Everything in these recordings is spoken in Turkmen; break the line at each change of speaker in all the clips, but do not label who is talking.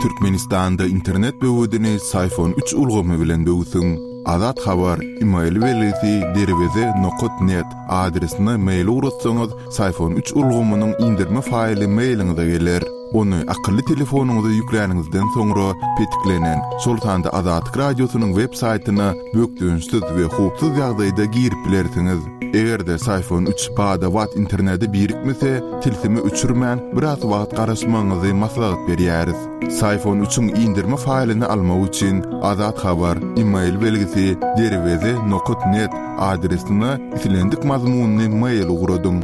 Türkmenistanda internet böwedini Syfon üç ulgamy bilen böwsüň. Azat Habar, email belgisi derweze nokat net adresine mail ugratsaňyz, Syfon üç ulgamynyň indirme faýly mailiňize geler. Ony akylly telefonyňyza ýükläniňizden soňra petiklenen, şol sanda Azatlyk Radiosynyň web saýtyna bökdençsiz we howpsuz ýagdaýda girip bilersiňiz. Eger-de Syfon üç bada-bat internete birikmese, tilsimi öçürmän, biraz wagt garaşmagyňyzy maslahat berýäris. Syfon üçiň indirme faýlyny almak üçin Azat Habar, email belgisi, derweze nokat net adresine islendik mazmunly mail ugradyň.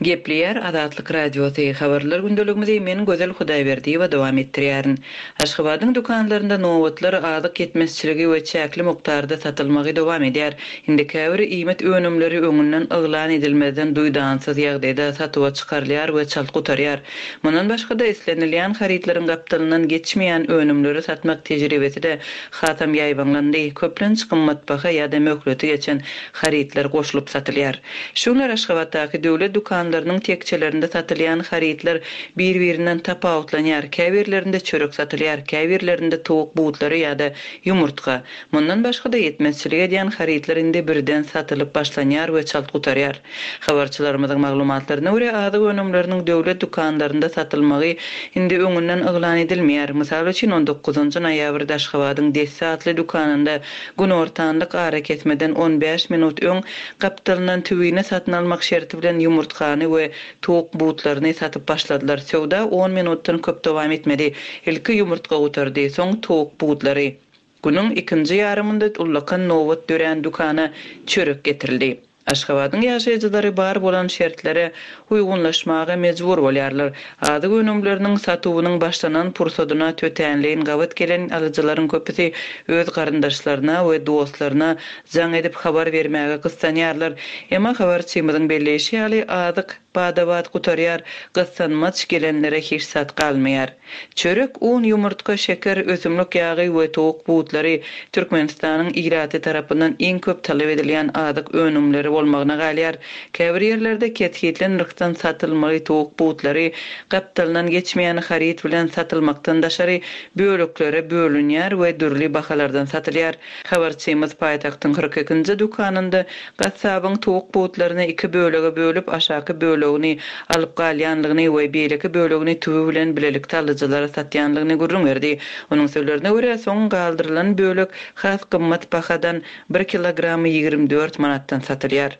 Gepleýär Azatlyk Radiosy, Habarlar gündeligimizi men Gözel Hudaýberdiýewa dowam etdirýärin. Aşgabadyň dükanlarynda nobatlar, azyk ýetmezçiligi we çäkli mukdarda satylmagy dowam edýär. Indi käbir iýmit önümleri öňünden yglan edilmezden duýdansyz ýagdaýda satuwa çykarylýar we çalt gutarýar. Mundan başga-da, islenilýän harytlaryň gapdalyndan geçmeýän önümleri satmak tejribesi-de hasam ýaýbaňlandy, köplenç gymmatbaha ýa-da möhleti geçen harytlar goşulyp satylýar. Şu günler Aşgabatdaky döwlet dükanlarynyň tekjelerinde satylýan harytlar bir-birinden tapawutlanýar, käbirlerinde çörek satylýar, käbirlerinde towuk butlary ýa-da ýumurtga. Mundan başga-da ýetmezçilik edýän harytlar indi birden satylyp başlanýar we çalt gutarýar. Habarçylarymyzyň maglumatlaryna görä, azyk önümleriniň döwlet dükanlarynda satylmagy indi öňünden yglan edilmeýär. Mysal üçin, on dokuzynjy noýabrda Aşgabadyň Desse atly dükanynda Günortanlyk arakesmeden on bäş minut öň gapdalyndan tüwini satyn almak şerti bilen ýumurtgany we towuk butlaryny satyp başladylar. Söwda on minutdan köp dowam etmedi. Ilki ýumurtga gutardy, soň towuk butlary. Günüň ikinji ýarymynda ullakan nobat dörän dükana çörek getirildi. Aşgabadyň ýaşaýjylary bar bolan şertlere uýgunlaşmaga mejbur bolýarlar. Azyk önümleriniň satuwynyň başlanan pursadyna tötänleýin gabat gelen alyjylaryň köpüsi öz garyndaşlaryna we dostlaryna jaň edip habar bermäge gyssanýarlar. Emma habarçymyzyň belleýşi ýaly, azyk bada-bat gutarýar, gyssanmaç gelenlere hiç zat galmaýar. Çörek, un, ýumurtga, şeker, ösümlik ýagy we towuk butlary Türkmenistanyň ilaty tarapyndan iň köp talap edilýän azyk önümleri bolmagyna galýar. Käbir ýerlerde kesgitli nyrhdan satylmaly towuk butlary gapdalyndan geçmeýän haryt bilen satylmakdan daşary böleklere bölünýär we dürli bahalardan satylýar. Habarçymyz paýtagtyň 42-nji dükanynda Gassabyň towuk butlaryny iki bölege bölüp, aşaky bölegini alyp galýanlygyny we beýleki bölegini tüwi bilen bilelikde alyjylara satýanlygyny gürrüň berdi. Onuň sözlerine görä, soň galdyrylan bölek has gymmat bahadan, bir kilogramy 24 manatdan satylýar.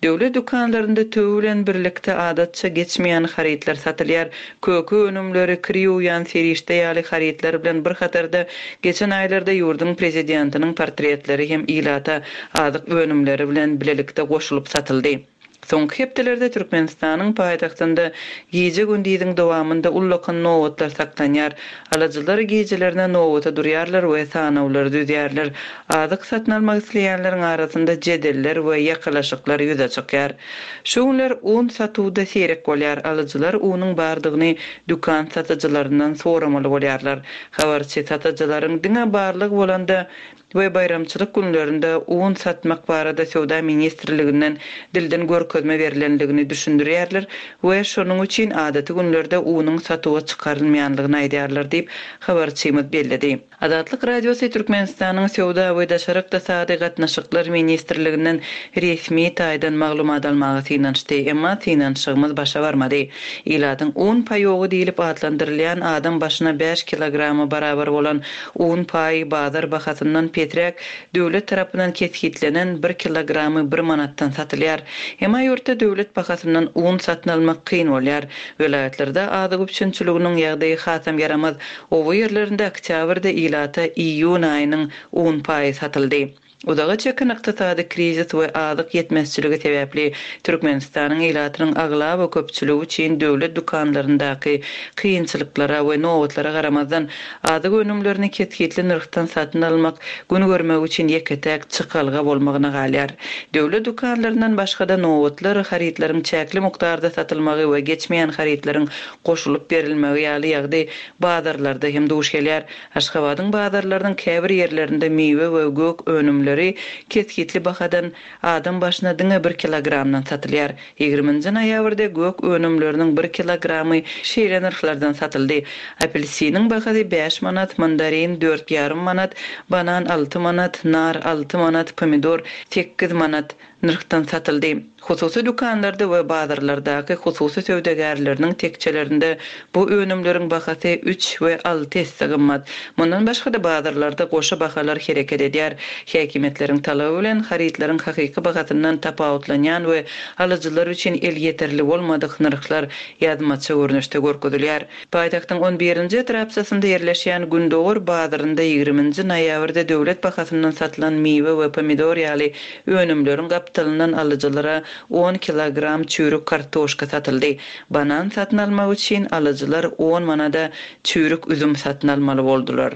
Döwlet dükanlarynda tüwi bilen birlikde adatça geçmeýän harytlar satylýar. Köke önümleri, kir ýuwýan serişde ýaly harytlar bilen bir hatarda, geçen aýlarda ýurduň prezidentiniň portretleri hem ilata azyk önümleri bilen bilelikde goşulyp satyldy. Soňky hepdelerde Türkmenistanyň paýtagtynda gije-gündiziň dowamynda ullakan nobatlar saklanýar. Alyjylar gijelerine nobata durýarlar we sanawlary düzýärler. Azyk satyn almak isleýänleriň arasynda jedeller we ýakalaşyklar ýüze çykýar. Şu günler un satuwda seýrek bolýar, alyjylar unuň bardygyny dükan satyjylaryndan soramaly bolýarlar. Habarçy satyjylaryň diňe barlygy bolanda we baýramçylyk günlerinde un satmak barada Söwda ministrliginden dilden görkezme berlendigini düşündirýärler we şonuň üçin adaty günlerde unuň satuwa çykarylmaýanlygyny aýdýarlar diýip, habarçymyz belledi. Azatlyk Radiosy Türkmenistanyň Söwda we daşary ykdysady gatnaşyklar ministrliginden resmi taýdan maglumat almaga synanyşdy, emma synanyşygymyz başa barmady. Ilatyň un paýogy diýlip atlandyrylýan adam başyna bäş kilograma barabar bolan un paýy bazar bahasyndan pesräk döwlet tarapyndan kesgitlenen bir kilogramy bir manatdan satylýar. Emma ýurtda döwlet bahasyndan un satyn almak kyn bolýar. Welaýatlarda azyk üpjünçiliginiň ýagdaýy hasam ýaramaz. Oba ýerlerinde oktýabrda ilata iýun aýynyň un paýy satyldy. Uzaga çeken ykdysady krizis we azyk ýetmezçiligi sebäpli Türkmenistanyň ilatynyň aglaba köpçüligi üçin döwlet dükanlaryndaky kynçylyklara we nobatlara garamazdan, azyk önümlerini kesgitli nyrhdan satyn almak gün görmek üçin ýeke-täk çykalga bolmagyna galýar. Döwlet dükanlaryndan başga-da nobatlar, harytlaryň çäkli mukdarda satylmagy we geçmeýän harytlaryň goşulyp berilmegi ýaly ýagdaý bazarlarda hem duş gelýär. Aşgabadyň bazarlarynyň käbir ýerlerinde miwe we gök önümleri. önümleri kesgitli bahadan adam başyna diňe bir kilogramdan satylýar. Ýigriminji noýabrda gök önümleriniň bir kilogramy şeýle nyrhlardan satyldy, apelsiniň bahasy bäş manat, mandarin dört ýarym manat, banan alty manat, nar alty manat, pomidor sekiz manat nyrhdan satyldy. Hususy dükanlarda we bazarlardaky hususy söwdagärleriniň tekjelerinde bu önümleriň bahasy üç we alty esse gymmat. Mundan başga-da bazarlarda goşa bahalar hereket edýär. Häkimiýetleriň talaby bilen harytlaryň hakyky bahasyndan tapawutlanýan we alyjylar üçin elýeterli bolmadyk nyrhlar ýazmaça görnüşde görkezilýär. Paýtagtyň on birinji etrapçasynda ýerleşýän Gündogar bazarynda ýigriminji noýabrda döwlet bahasyndan satylan miwe we pomidor ýaly önümleriň gapdalyndan alyjylara on kilogram çüýrük kartoşka satyldy. Banan satyn almak üçin alyjylar on manada çüýrük üzüm satyn almaly boldular.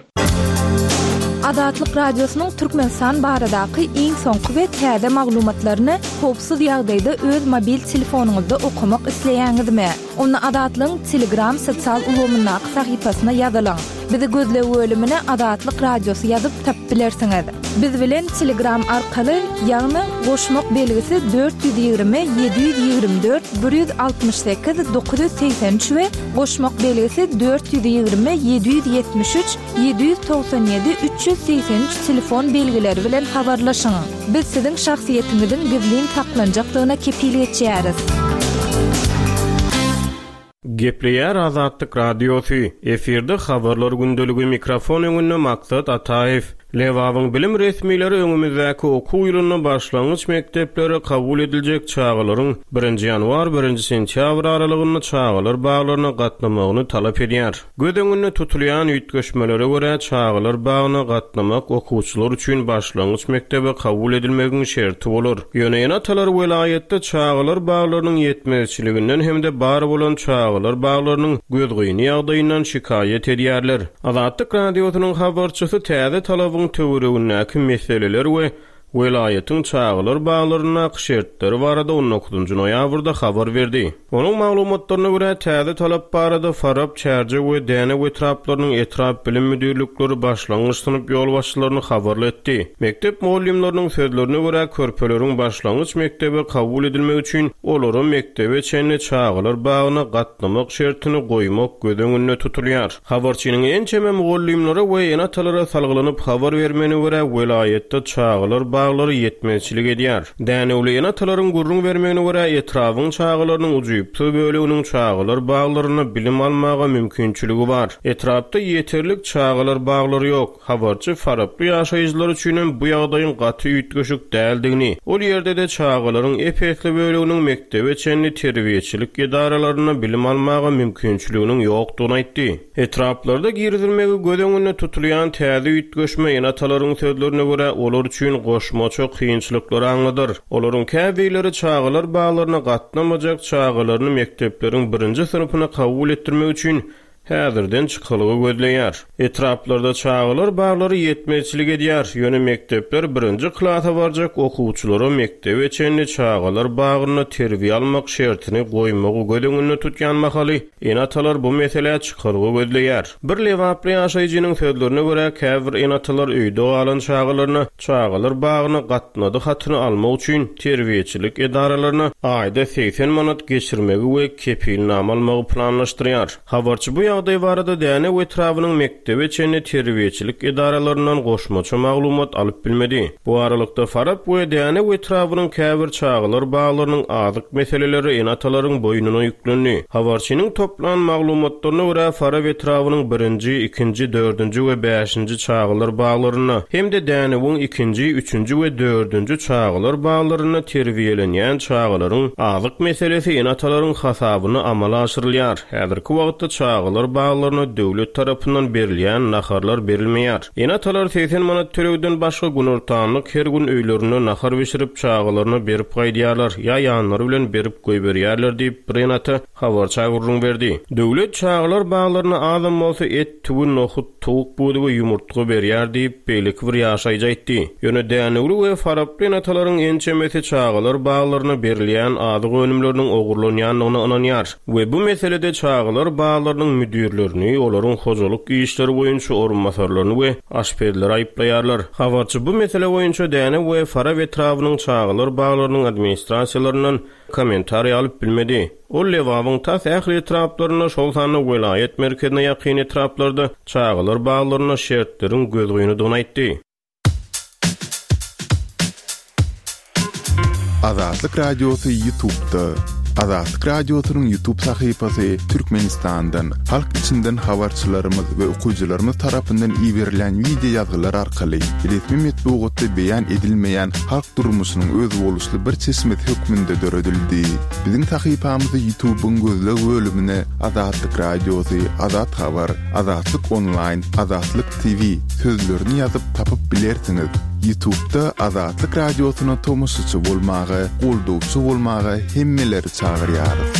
Azatlyk Radiosynyň Türkmenistan baradaky iň soňky we täze maglumatlaryny howpsuz ýagdaýda öz mobil telefonyňyzda okamak isleýäňizmi? Onda Azatlygyň Telegram sosial ulgamyndaky sahypasyna ýazylyň. Bizi gözleg bölümine Azatlyk Radiosy ýazyp tapyp bilersiňiz. Biz bilen Telegram arkaly, ýagny goşmak belgisi 420 724 168 983 we goşmak belgisi 420 773 797 383 telefon belgileri bilen habarlaşyň. Biz siziň şahsyýetiňiziň gizlin saklanjakdygyna kepil geçýäris.
Gepleýär Azatlyk Radiosy, efirde Habarlar gündeligi, mikrofon öňünde Maksat Ataýew. Lebabyň bilim resmileri öňümizdäki okuw ýylynda başlangyç mekdeplere kabul ediljek çagalaryň birinji ýanwar, birinji sentýabr aralygynda çagalar baglaryna gatnamagyny talap edýär. Göz öňünde tutulýan üýtgeşmelere görä, çagalar bagyna gatnamak okuwçylar üçin başlangyç mekdebe kabul edilmegiň şerti bolar. Ýöne ene-atalar welaýatda çagalar baglarynyň ýetmezçiliginden hem-de bar bolan çagalar baglarynyň gözgyny ýagdaýyndan şikaýat edýärler. Azatlyk Radiosynyň habarçysy täze talabyň töweregindäki meseleler we welaýatyň çagalar baglaryndaky şertleri barada on dokuzynjy noýabrda habar berdi. Onuň maglumatlaryna görä, täze talap barada Farap, Çärjew we Dänew etraplarynyň etrap bilim müdirlikleri başlangyç synp ýolbaşçylaryny habarly etdi. Mekdep mugallymlarynyň sözlerine görä, körpeleriň başlangyç mekdebe kabul edilmegi üçin olara mekdebe çenli çagalar bagyna gatnamak şertini goýmak göz öňünde tutulýar. Habarçynyň ençeme mugallymlara we ene-atalara salgylanyp habar bermegine görä, welaýatda çagalar baglary ýetmezçilik edýär. Dänewli ene-atalaryň gürrüň bermegine görä, etrabyň çagalarynyň ujypsyz böleginiň çagalar baglarynda bilim almaga mümkinçiligi bar. Etrapda ýeterlik çagalar baglary ýok. Habarçy faraply ýaşaýjylar üçinem bu ýagdaýyň gaty üýtgeşik däldigini, ol ýerde-de çagalaryň ep-esli böleginiň mekdebe çenli terbiýeçilik edaralarynda bilim almaga mümkinçiliginiň ýokdugyny aýtdy. Etraplarda girizilmegi göz öňünde tutulýan täze üýtgeşme ene-atalaryň sözlerine görä, olar üçin goşmaça kynçylyklary aňladar. Olaryň käbirleri çagalar baglaryna gatnamajak çagalaryny mekdepleriň birinji synpyna kabul etdirmek üçin häzirden çykalga gözleýär. Etraplarda çagalar baglary ýetmezçilik edýär, ýöne mekdepler birinji klasa barjak okuwçylara mekdebe çenli çagalar bagynda terbiýe almak şertini goýmagy göz öňünde tutýan mahaly, ene-atalar bu meselä çykalga gözleýär. Bir lebaply ýaşaýjynyň sözlerine görä, käbir ene-atalar öýde galan çagalaryna çagalar bagyna gatnady hatyny almak üçin terbiýeçilik edaralaryna aýda 80 manat geçirmegi we kepilnama almagy planlaşdyrýar. Habarçy bu ýagdaý barada Dänew etrabynyň mekdebe çenli terbiýeçilik edaralaryndan goşmaça maglumat alyp bilmedi. Bu aralykda, Farap we Dänew etrabynyň käbir çagalar baglarynyň azyk meseleleri ene-atalaryň boýnuna ýüklendi. Habarçynyň toplan maglumatlaryna görä, Farap etrabynyň birinji, ikinji, dördünji we bäşinji çagalar baglarynda hem-de Dänewiň ikinji, üçünji we dördünji çagalar baglarynda terbiýelenýän çagalaryň azyk meselesi ene-atalaryň hasabyna amala aşyrylýar. Häzirki wagtda çagalar baglaryna döwlet tarapyndan berilýän naharlar berilmeýär. Ene-atalar 80 manat tölegden başga günortanlyk her gün öýlerinde nahar bişirip çagalaryna berip gaýdýarlar ýa ýanlary bilen berip goýberýärler diýip, bir ene-ata habarça gürrüň berdi. Döwlet çagalar baglaryna azam bolsa et, tüwi, nohut, towuk budy we ýumurtga berýär diýip, beýleki bir ýaşaýjy aýtdy. Ýöne dänewli we faraply ene-atalaryň ençemesi çagalar baglaryna berilýän azyk önümleriniň ogurlanýandygyna ynanýar we bu meselede çagalar baglarynyň. müdirlerini, olaryň hojalyk işleri boýunça orunbasarlaryny we aşpezleri aýyplaýarlar. Habarçy bu mesele boýunça Dänew we Farap etrabynyň çagalar baglarynyň administrasiýalaryndan kommentariý alyp bilmedi. Ol Lebabyň tas ähli etraplarynda, şol sanda welaýat merkezine ýakyn etraplarda çagalar baglarynda şertleriň gözgynydygyny aýtdy.
Azatlyk Radiosy Ýutubda. Azatlyk Radiosynyň Ýutub sahypasy Türkmenistandan, halk içinden habarçylarymyz we okyjylarymyz tarapyndan iberilýän wideo ýazgylar arkaly resmi metbugatda beýan edilmeýän halk durmuşynyň özboluşly bir çeşmesi hökmünde döredildi. Biziň sahypamyzy Ýutubyň gözleg bölümine Azatlyk Radiosy, Azat Habar, Azatlyk Onlaýn, Azatlyk TV sözlerini ýazyp tapyp bilersiňiz. Ýutubda Azatlyk Radiosyna tomaşaçy bolmaga, goldawçy bolmaga hemmeleri çagyrýarys.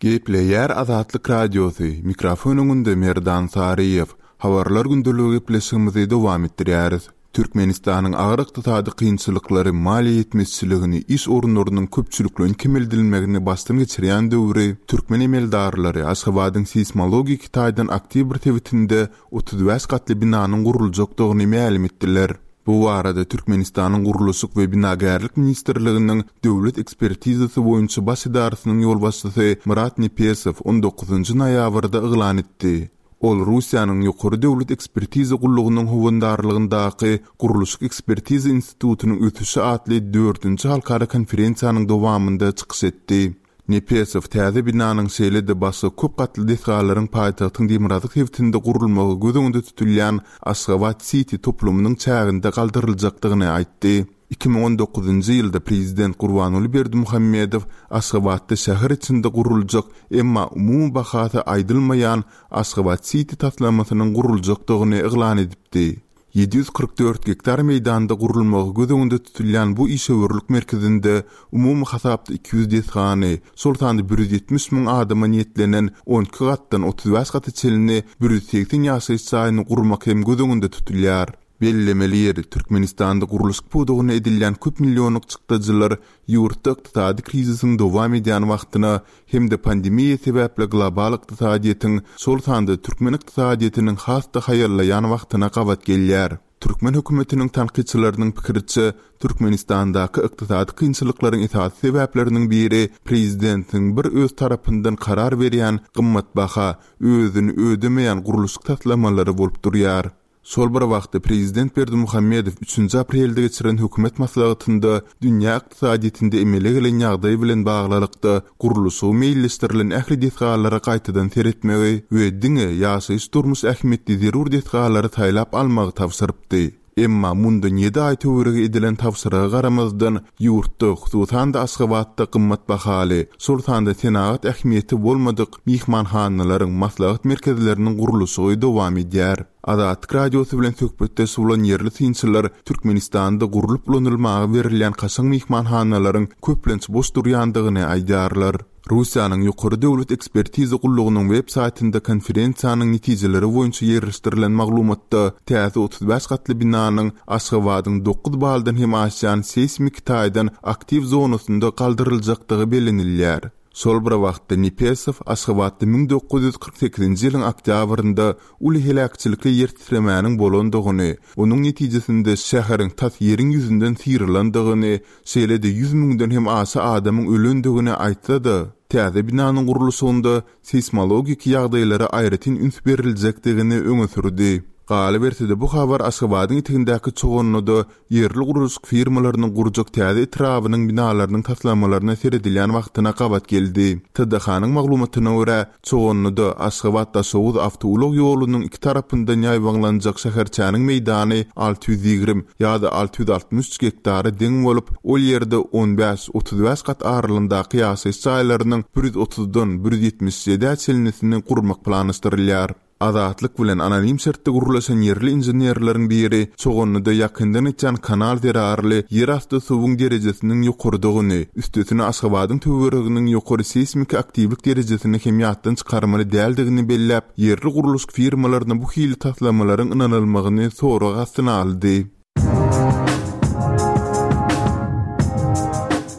Gepleýär Azatlyk Radiosy, mikrofon öňünde Merdan Saryýew. Habarlar gündeligi gepleşigimizi dowam etdirýäris. Türkmenistanyň agyr ykdysady kynçylyklary, maliýe ýetmezçiligini, iş orunlarynyň köpçülikleýin kemeldilmegini başdan geçirýän döwri türkmen emeldarlary Aşgabadyň seýsmologik taýdan aktiw bir sebitinde 35 gatly binanyň guruljakdygyny mälim etdiler. Bu barada Türkmenistanyň Gurluşyk we binagärlik ministrliginiň Döwlet ekspertizasy boýunça baş edarasynyň ýolbaşçysy Myrat Nepesow on dokuzynjy noýabrda yglan etdi. Ol Russiýanyň Ýokary döwlet ekspertiza gullugynyň howandarlygyndaky Gurluşyk ekspertiza institutynyň ösüşi atly dördünji halkara konferensiýanyň dowamynda çykyş etdi. Nepesow täze binanyň şeýle-de başga köp gatly desgalaryň paýtagtyň demirgazyk sebitinde gurulmagy göz öňünde tutulýan Aşgabat-siti toplumynyň çäginde galdyryljakdygyny aýtdy. 2019-njy ýylda prezident Gurbanguly Berdimuhamedow Aşgabatda şäher içinde guruljak, emma umumy bahasy aýdylmaýan Aşgabat-siti taslamasynyň guruljakdygyny yglan edipdi. 744 gektar meýdanda gurulmagy göz öňünde tutulýan bu işewürlik merkezinde umumy hasapda 200 desgany, şol sanda 170 müň adama niýetlenen 12 gatdan 35 gata çenli 180 ýaşaýyş jaýyny gurmak hem göz öňünde tutulýar. Bellemeli ýeri, Türkmenistanda gurluşyk pudagyna edilýän köp millionlyk çykdajylar ýurtda ykdysady krizisiň dowam edýän wagtyna hem-de pandemiýa sebäpli global ykdysadyýetiň, şol sanda türkmen ykdysadyýetiniň has-da haýallaýan wagtyna gabat gelýär. Türkmen hökümetiniň tankytçylarynyň pikiriçe, Türkmenistandaky ykdysady kynçylyklaryň esasy sebäpleriniň biri prezidentiň bir öz tarapyndan karar berýän gymmatbaha, özüni ödemeýän gurluşyk taslamalary bolup durýar. Şol bir wagtda, prezident Berdimuhamedow üçünji aprelde geçiren hökümet maslahatynda dünýä ykdysadyýetinde emele gelen ýagdaý bilen baglylykda, gurluşygy meýilleşdirilen ähli desgalara gaýtadan seretmegi we diňe ýaşaýyş-durmuş ähmiýetli zerur desgalary saýlap almagy tabşyrypdy. Emma mundan ýedi aý töweregi edilen tabşyryga garamazdan, ýurtda, hususan-da Aşgabatda gymmat bahaly, şol sanda senagat ähmiýeti bolmadyk myhmanhanalaryň, maslahat merkezleriniň gurluşygy dowam edýär. Azatlyk Radiosy bilen söhbetdeş bolan ýerli synçylar Türkmenistanda gurlup ulanylmaga berilýän kaşaň myhmanhanalaryň köplenç boş durýandygyny aýdýarlar. Russiýanyň Ýokary döwlet ekspertiza gullugynyň web saýtynda konferensiýanyň netijeleri boýunça ýerleşdirilen maglumatda täze 35 gatly binanyň Aşgabadyň dokuz baldan hem aşýan seýsmiki taýdan aktiw zonasynda galdyryljakdygy bellenilýär. Şol bir wagtda Nepesow Aşgabatda 1948-nji ýylyň oktýabrynda uly heläkçilikli ýer titremäniň bolandygyny, onuň netijesinde şäheriň tas ýeriň ýüzünden syrylandygyny, şeýle-de ýüz müňden hem aşa adamyň ölendigini aýtsa-da, täze binanyň gurluşygynda seýsmologik ýagdaýlara aýratyn üns beriljekdigini öňe sürdi. Galyberse-de, bu habar Aşgabadyň etegindäki Çoganlyda ýerli gurluşyk firmalarynyň gurjak täze etrabynyň binalarynyň taslamalaryna seredilýän wagtyna gabat geldi. TDH-nyň maglumatyna görä, Çoganlyda Aşgabat-Daşoguz awtoulag ýolunyň iki tarapyndan ýaýbaňlanjak şäherçäniň meýdany 620 ýa-da 663 gektara deň bolup, ol ýerde on bäş, 35 gat aralygyndaky ýaşaýyş jaýlarynyň bir ýüz otuzdan bir ýüz ýetmiş ýedä çenlisini gurmak planlaşdyrylýar. Azatlyk bilen anonim şertde gürleşen ýerli inženerleriň biri Çoganlyda ýakyndan geçýän kanal zerarly ýerasty suwuň derejesiniň ýokarydygyny, üstesine Aşgabadyň töwereginiň ýokary seýsmiki aktiwlik derejesini hem ýatdan çykarmaly däldigini belläp, ýerli gurluşyk firmalaryna bu hili taslamalaryň ynanylmagyny sorag astyna aldy.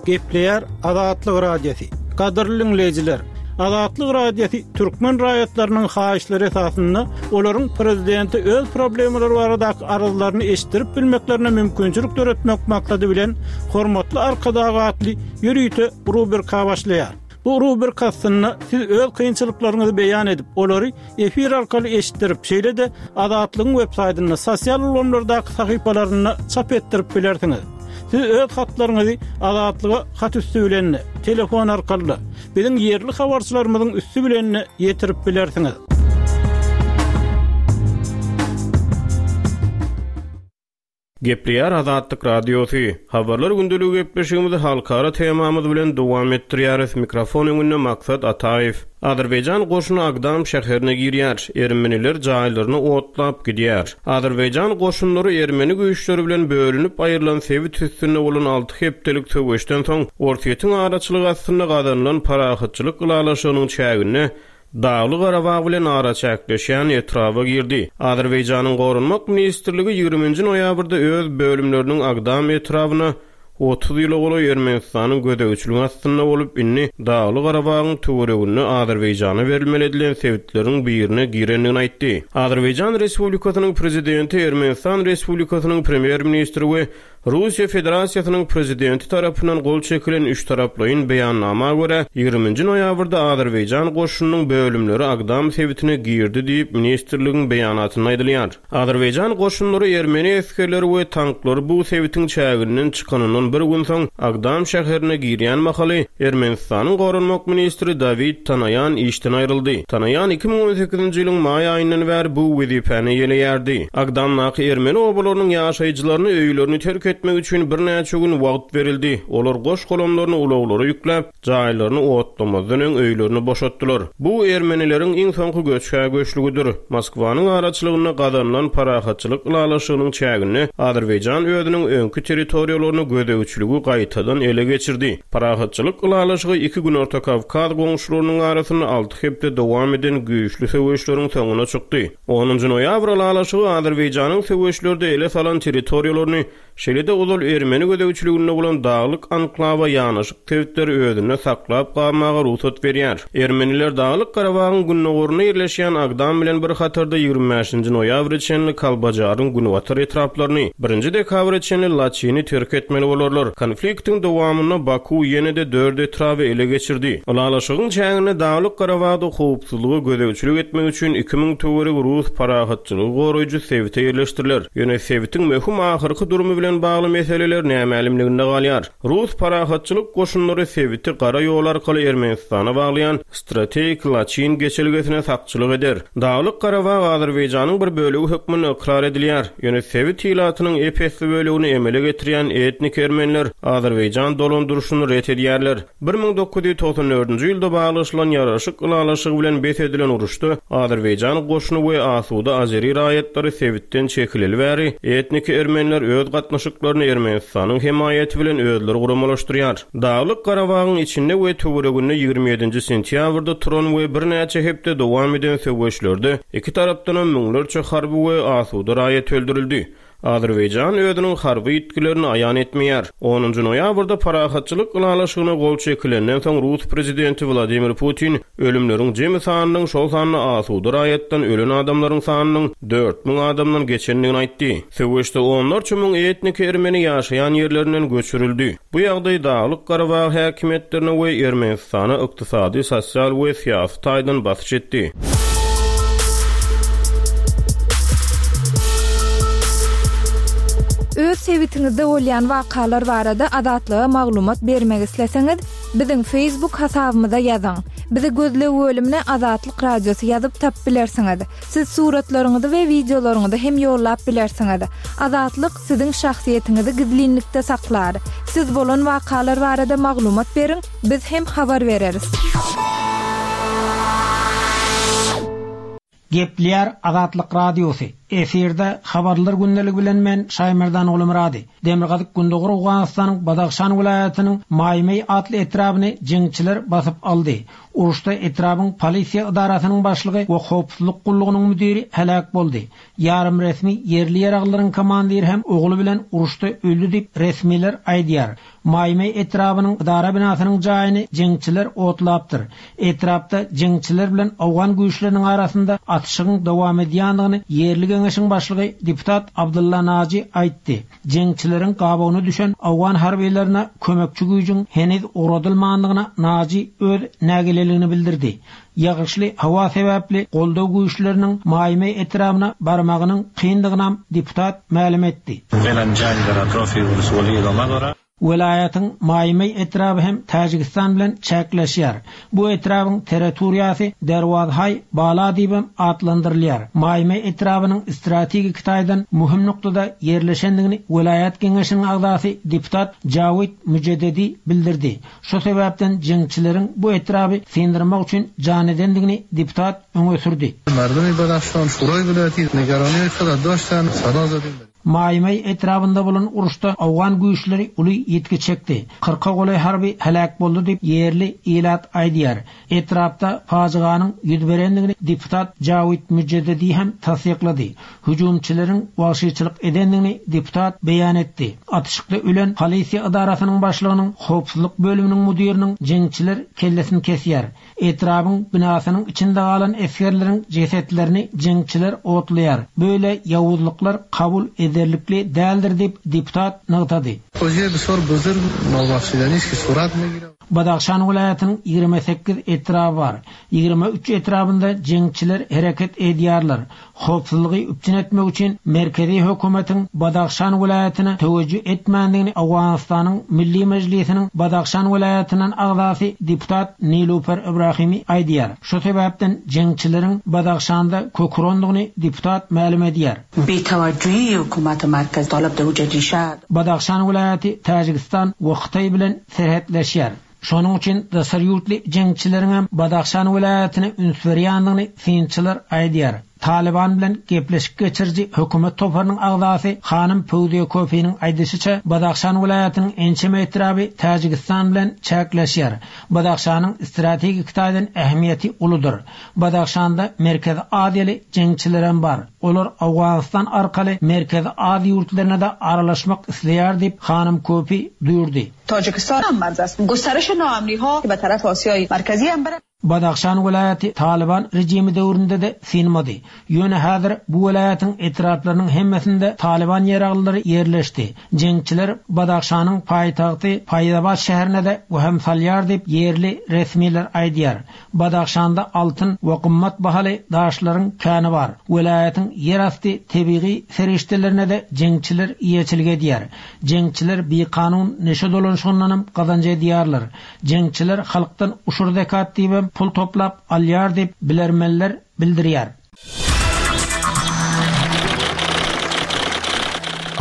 Gepleýär Azatlyk Radiosy. Gadyrly diňleýjiler! Azatlyk Radiosy türkmen raýatlarynyň haýyşlary esasynda olaryň prezidente öz problemalary baradaky arzlaryny eşitdirip bilmeklerine mümkinçilik döretmek maksady bilen Hormatly Arkadag atly ýörite rubrika başlaýar. Bu rubrika astynda siz öz kynçylyklaryňyzy beýan edip, olary efir arkaly eşitdirip, şeýle-de Azatlygyň websaýtynda, sosial ulgamlardaky sahypalarynda çap etdirip bilersiňiz. Siz öz hatlaryňyzy Azatlyga hat üsti bilen-de, telefon arkaly-da, biziň ýerli habarçylarymyzyň üsti bilen-de ýetirip bilersiňiz.
Gepleýär Azatlyk Radiosy. Habarlar gündeligi gepleşigimizi halkara temamyz bilen dowam etdirýäris. Mikrofon öňünde Maksat Ataýew. Azerbaýjan goşuny Agdam şäherine girýär. Ermeniler jaýlaryny otlap gidýär. Azerbaýjan goşunlary ermeni güýçleri bilen bölünip aýrylan sebit üstünde bolan alty hepdelik söweşden soň, Orsýetiň araçylygy astynda gazanylan parahatçylyk ylalaşygynyň çäginde Dagly-Garabag bilen araçäkleşýän etraba girdi. Azerbaýjanyň Goranmak ministrligi ýigriminji noýabrda öz bölümleriniň Agdam etrabyna 30 ýyla golaý Ermenistanyň gözegçiligi astynda bolup, indi Dagly-Garabagyň töwereginde Azerbaýjana berilmeli edilen sebitleriň birine girendigini aýtdy. Azerbaýjan Respublikasynyň Prezidenti Ermenistan Respublikasynyň Premýer-ministri we Russiýa Federasiýasynyň Prezidenti tarapyndan gol çekilen üçtaraplaýyn beýannama görä, ýigriminji noýabrda Azerbaýjan goşunynyň bölümleri Agdam sebitine girdi diýip, ministrligiň beýanatynda aýdylýar. Azerbaýjan goşunlary ermeni esgerleri we tanklary bu sebitiň çäginden çykanyndan bir gün soň Agdam şäherine girýän mahaly, Ermenistanyň goranmak ministri Dawid Tanaýan işden aýryldy. Tanaýan 2018-nji ýylyň maý aýyndan bäri bu wezipäni eýeleýärdi. Agdamdaky ermeni obalarynyň ýaşaýjylaryna öýlerini terk etmek üçin birnäçe gün wagt berildi. Olar goş-golamlaryny ulaglara ýükläp, jaýlaryny otlamazdan öň öýlerini boşatdylar. Bu ermenileriň iň soňky göçhä-göçlügidir. Moskwanyň araçylygynda gazanylan parahatçylyk ylalaşygynyň çäginde Azerbaýjan özüniň öňki territoriýalaryna gözegçiligi gaýtadan ele geçirdi. Parahatçylyk ylalaşygy iki Günorta Kawkaz goňşularynyň arasynda alty hepde dowam eden güýçli söweşleriň soňuna çykdy. Onunjy noýabr ylalaşygy Azerbaýjanyň söweşlerde ele salan territoriýalaryny Şeýle-de ozal ermeni gözegçiliginde bolan daglyk anklawa ýanaşyk sebitleri özünde saklap galmaga rugsat berýär. Ermeniler Daglyk Garabagyň gündogarynda ýerleşýän Agdam bilen bir hatarda 25-nji noýabra çenli Kalbajaryň günbatar etraplaryny, birinji dekabra çenli Laçyny terk etmeli bolarlar. Konfliktiň dowamynda Baku ýene-de dört etraby ele geçirdi. Ylalaşygyň çäginde Daglyk Garabagda howpsuzlyga gözegçilik etmek üçin 2000 töweregi rus parahatçylygy goraýjy sebite ýerleşdiriler. Ýöne sebitiň möhüm ahyrky durumy bilen bagly meseleler nämälimliginde galýar. Rus parahatçylyk goşunlary sebiti gara ýol arkaly Ermenistana baglaýan strategik Laçyn geçelgesine sakçylyk eder. Daglyk Garabag Azerbaýjanyň bir bölegi hökmünde ykrar edilýär. Ýöne sebit ilatynyň ep-esli bölegini emele getirýän etnik ermeniler Azerbaýjan dolandyryşyny ret edýärler. 1994-nji ýylda baglaşylan ýaraşyk ylalaşygy bilen bes edilen uruşda Azerbaýjan goşuny we asuda azeri raýatlary sebitden çekileli bäri, etniki ermeniler öz gatnaşyklaryny Ermenistanyň hemaýaty bilen özleri guramalaşdyrýar. Daglyk Garabagyň içinde we töwereginde 27-nji sentýabrda turan we birnäçe hepde dowam eden söweşlerde iki tarapdanam müňlerçe harby we asuda raýat öldürildi. Azerbaýjan özüniň harby ýitgilerini aýan etmeýär. Onunjy noýabrda parahatçylyk ylalaşygyna gol çekilenden soň rus prezidenti Wladimir Putin ölümleriň jemi sanynyň, şol sanda asuda raýatdan ölen adamlaryň sanynyň 4000 adamdan geçendigini aýtdy. Söweşde onlarça müň etniki ermeni ýaşaýan ýerlerinden göçürildi. Bu ýagdaý Daglyk Garabag häkimiýetlerine we Ermenistana ykdysady, sosial we syýasy taýdan basyş etdi.
Öz sebitiňizde bolýan wakalar barada Azatlyga maglumat bermek isleseňiz, biziň Facebook hasabymyza ýazyň. Bizi gözleg bölümine Azatlyk Radiosy ýazyp tapyp bilersiňiz. Siz suratlaryňyzy we wideolaryňyzy hem ýollap bilersiňiz. Azatlyk siziň şahsyýetiňizi gizlinlikde saklar. Siz bolan wakalar barada maglumat beriň, biz hem habar bereris.
Gepleýär Azatlyk Radiosy. Efirde Habarlar gündeligi bilen men Şaýmerdan Gulumyrady. Demirgazyk Gündogar Owganystanyň Badahşan welaýatynyň Maýmeý atly etrabyny jeňçiler basyp aldy. Uruşda etrabyň polisiýa edarasynyň başlygy we howpsuzlyk gullugynyň müdiri heläk boldy. Ýarym resmi ýerli ýaraglylaryň komandiri hem ogly bilen uruşda öldi diýip resmiler aýdýar. Maýmeý etrabynyň edara binasynyň jaýyny jeňçiler otlapdyr. Etrapda jeňçiler bilen owgan güýçleriniň arasynda atyşygyň dowam edýändigini ýerli geňeşiň başlygy deputat Abdylla Naji aýtdy. Jeňçileriň gabawyna düşen owgan harbylaryna kömekçi güýjüň heniz ugradylmandygyna Naji öz nägileligini bildirdi. Ýagyşly howa sebäpli goldaw güýçleriniň Maýmeý etrabyna barmagynyň kyndygynam deputat mälim etdi. Welaýatyň Maýmeý etraby hem Täjigistan bilen çäkleşýär. Bu etrabyň territoriýasy Derwazhaý Bala diýibem atlandyrylýar. Maýmeý etrabynyň strategiki taýdan möhüm noktada ýerleşendigini welaýat geňeşiniň agzasy deputat Jawid Müjededi bildirdi. Şu sebäpden jeňçileriň bu etraby syndyrmak üçin jan edendigini deputat öňe sürdi. Maýmaý etrabynda bolan uruşda owgan güýçleri uly ýitgi çekdi. Kyrka golaý harby heläk boldy diýip, ýerli ilat aýdýar. Etrapda pajyganyň ýüz berendigini deputat Jawid Müjededi hem tassyklady. Hüjümçileriň wagşyçylyk edendigini deputat beýan etdi. Atyşykda ölen polisiýa edarasynyň başlygynyň howpsuzlyk bölüminiň müdiriniň jeňçiler kellesini kesýär. Etrabyň binasynyň içinde galan esgerleriň jesetlerini jeňçiler otlaýar. Beýle ýawuzlyklar kabul ederlikli däldir diýip, deputat nygtady. Badahşan welaýatynyň 28 etraby bar. 23 etrabynda jeňçiler hereket edýärler. Howpsuzlygy üpjün etmek üçin merkezi hökümetiň Badahşan welaýatyna töwejjüh etmändigini Owganystanyň Milli Mejlisiniň Badahşan welaýatyndan agzasy deputat Nilufer Ibrahimi aýdýar. Şu sebäpden jeňçileriň Badahşanda kök urandygyny deputat mälim edýär.
Bitawajjuhi hökümeti merkez talap dewje
Badahşan welaýaty Täjigistan we Hytaý bilen serhetleşýär. Şonuň üçin daşary ýurtly jeňçileriňem Badahşan welaýatyna üns berýändigini synçylar aýdýar. Talyban bilen gepleşik geçiriji hökümet toparynyň agzasy hanym Pöwziýe Köpiniň aýdyşyça, Badahşan welaýatynyň ençeme etraby Täjigistan bilen çäkleşýär. Badahşanyň strategik taýdan ähmiýeti uludyr. Badahşanda Merkezi Aziýaly jeňçilerem bar. Olar Owganystan arkaly Merkezi Aziýa ýurtlaryna-da aralaşmak isleýär diýip, hanym Köpi duýurdy.
Tajikistan hem marz است. گسترش ناامنی‌ها که به طرف آسیای مرکزی هم بره.
Badahşan welaýaty Talyban režimi döwründe-de synmady. Ýöne häzir bu welaýatyň etraplarynyň hemmesinde Talyban ýaraglylary ýerleşdi. Jeňçiler Badahşanyň paýtagty Faýzabat şäherine-de wehim salýar diýip, ýerli resmiler aýdýar. Badahşanda altyn we gymmat bahaly daşlaryň käni bar. Welaýatyň ýerasty tebigy serişdelerine-de jeňçiler eýeçilik edýär. Jeňçiler bikanun neşe dolanyşygyndanam gazanç edýärler. Jeňçiler halkdan uşur-zekat diýibem pul toplap alýar diýip, bilermenler bildirýär.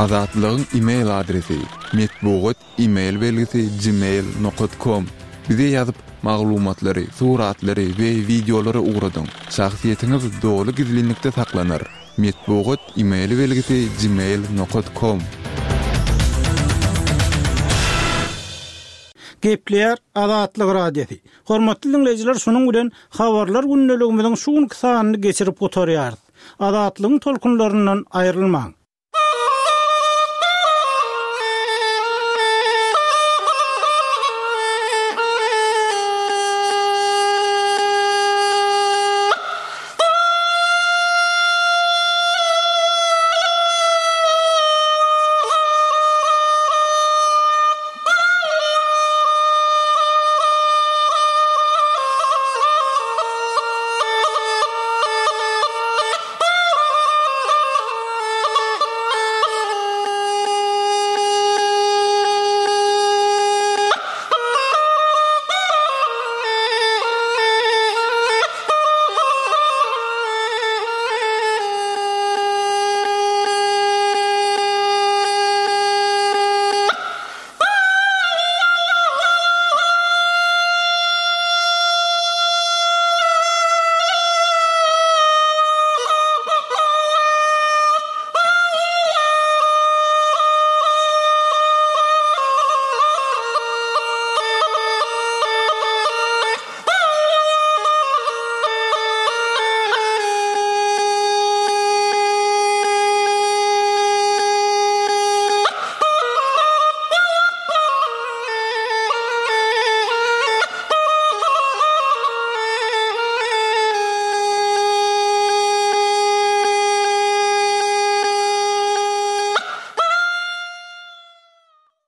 Azatlygyň e-mail adresi, metbugat e-mail belgisi gmail nokat kom. Bize ýazyp, maglumatlary, suratlary we wideolary ugradyň. Şahsyýetiňiz doly gizlinlikde saklanar. Metbugat e-mail belgisi gmail nokat kom.
Gepleýär Azatlyk Radiosy. Hormatly diňleýjiler şunuň bilen Habarlar gündeligimiziň şu günki sanyny geçirip gutarýarys. Azatlygyň tolkunlaryndan aýrylmaň.